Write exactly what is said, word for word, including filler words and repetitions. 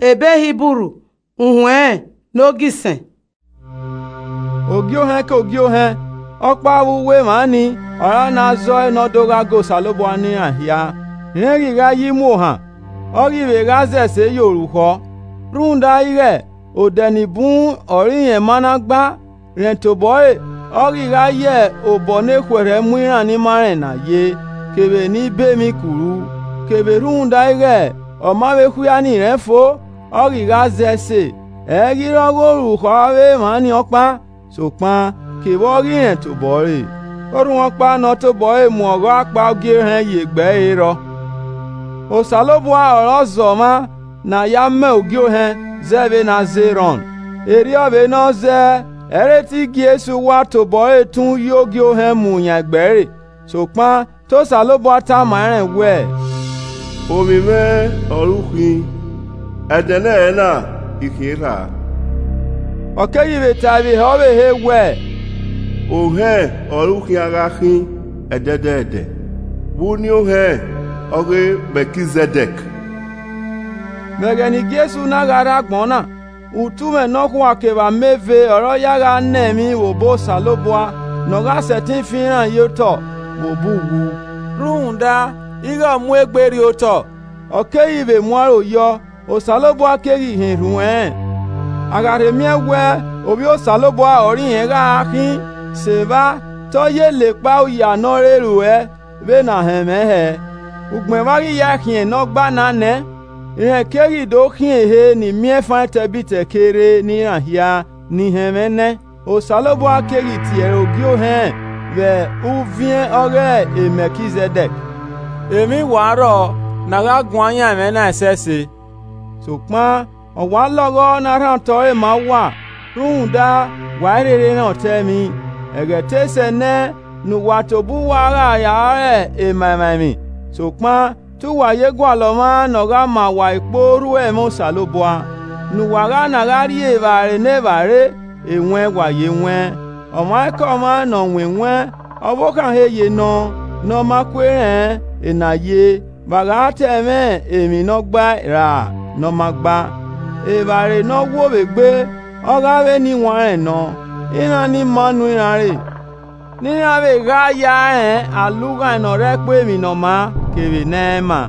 Ebe Hiburu, uhuẹn ne ogisẹn. Ogiohẹn ke ogiohẹn, ọkpa vbe uwu emwa ni, ọre a na zọe ne ọ do gha ga Osanobua ne iran hia, rẹn ghi gha yi mu ohan, ọ ghi vbe gha zẹ ẹse ye orukhọ. Rhunmwuda ighẹ odẹ ni bun ọre irẹn ma na gba, rẹn tobọre, ọ ghi gha ye obọ ne khuẹrhẹ mu iran ni ma rẹn na ye, kevbe ne i be emwi kuru, kevbe rhunmwuda ighẹ ọ ma vbe khuia ni rẹn fo, ọ ghi gha zẹ ẹse, ẹ i ghi rre ọghe orukhọ avbe emwa ni ọkpa, sokpan kevbe ọ ghi rẹn tobọre. Orhunmwu ọkpa ne ọ tobọre mu ọghọ akpa ogiohẹn ye egbe ẹre rrọọ. Osanobua ọre ọ zọ mwa ne a ya mẹ ogiohẹn zẹ vbene a zẹ erhọn. Erriọ vbene ọ zẹe, ẹ i re te Jesu wa tobọre tun ye ogiohẹn mu yan egbe ẹre. Sokpan te Osanobua tama ẹnrẹn wẹẹ, Ovbi mwẹ ọre u khin, ẹdẹnẹrẹ na I khin erha. Ọ keghi vbe tae vbe hẹ ọvbehe wẹẹ, Ohẹn ọre u khian gha khin ẹdẹdẹdẹ, vbe uniẹn ohẹn ọghe Mẹkizẹdẹk. Vbe ẹghẹ ne Jesu na gha rre agbọn na, utumwẹ nọkhua kevbe ameve ọre ọ ya gha na emwi vbe obọ Osanobua ne ọ gha sẹtin fian iran ye otọ vbe obọ uwu. Rhunmwuda, ighẹ ọ mu egbe rrie otọ, ọ keghi vbe mu aro yọ, Osanobua keghi hin erhunmwu ẹnrẹn. A gha rhe miẹn wẹẹ Ovbi Osanobua ọre irẹn gha khin, sẹ evba, te ọ ye la ekpa oya ne ọ re ruẹ vbene a hẹnmwẹ hẹ. Ugbẹn vbe a ghi ya khian ne ọ gba na nẹ, rẹn keghi do khian ehe ne imiẹnfan etẹbitẹ ke rre ne iran hia ni hẹnmwẹ nẹ. Osanobua keghi tie ẹre ogiohẹn vbe uviẹn ọghe Mẹkizẹdẹk. Emwi wa rrọọ ne a gha guan yan ẹmwẹ na ẹsẹse. Sokpan ọ wa lọghọ ne a rhan otọ ẹre ma uwa, rhunmwuda wa i rherhe rẹn otọ ẹmwi. Ẹghẹ te sẹ nẹ ne uwa tobọ uwa gha ya rẹ ema emwa emwi, sokpan te uwa ye gualọ mwa ne ọ gha ma uwa ikpo orhu ẹmwẹ Osanobua, ne uwa gha na gha rrie evbare ne evbare, ewẹn wa ye wẹn. Ọmwaikọmwa ne ọ wan ewẹn, ọvbokhan he ye nọ, ne ọ ma ku erẹn ena ye, vbe a gha ta ẹmwẹ emwi ne ọ gba ra ne ọ ma gba. Evbare ne ọ wo vbe egbe, ọ gha vbe ne iwanrẹn nọ, iran ni ma nu iran re, ne iran vbe gha ya rẹn alughaẹn ne ọ rre ẹkpo emwi ne ọ maa kevbe ne ẹ i maa.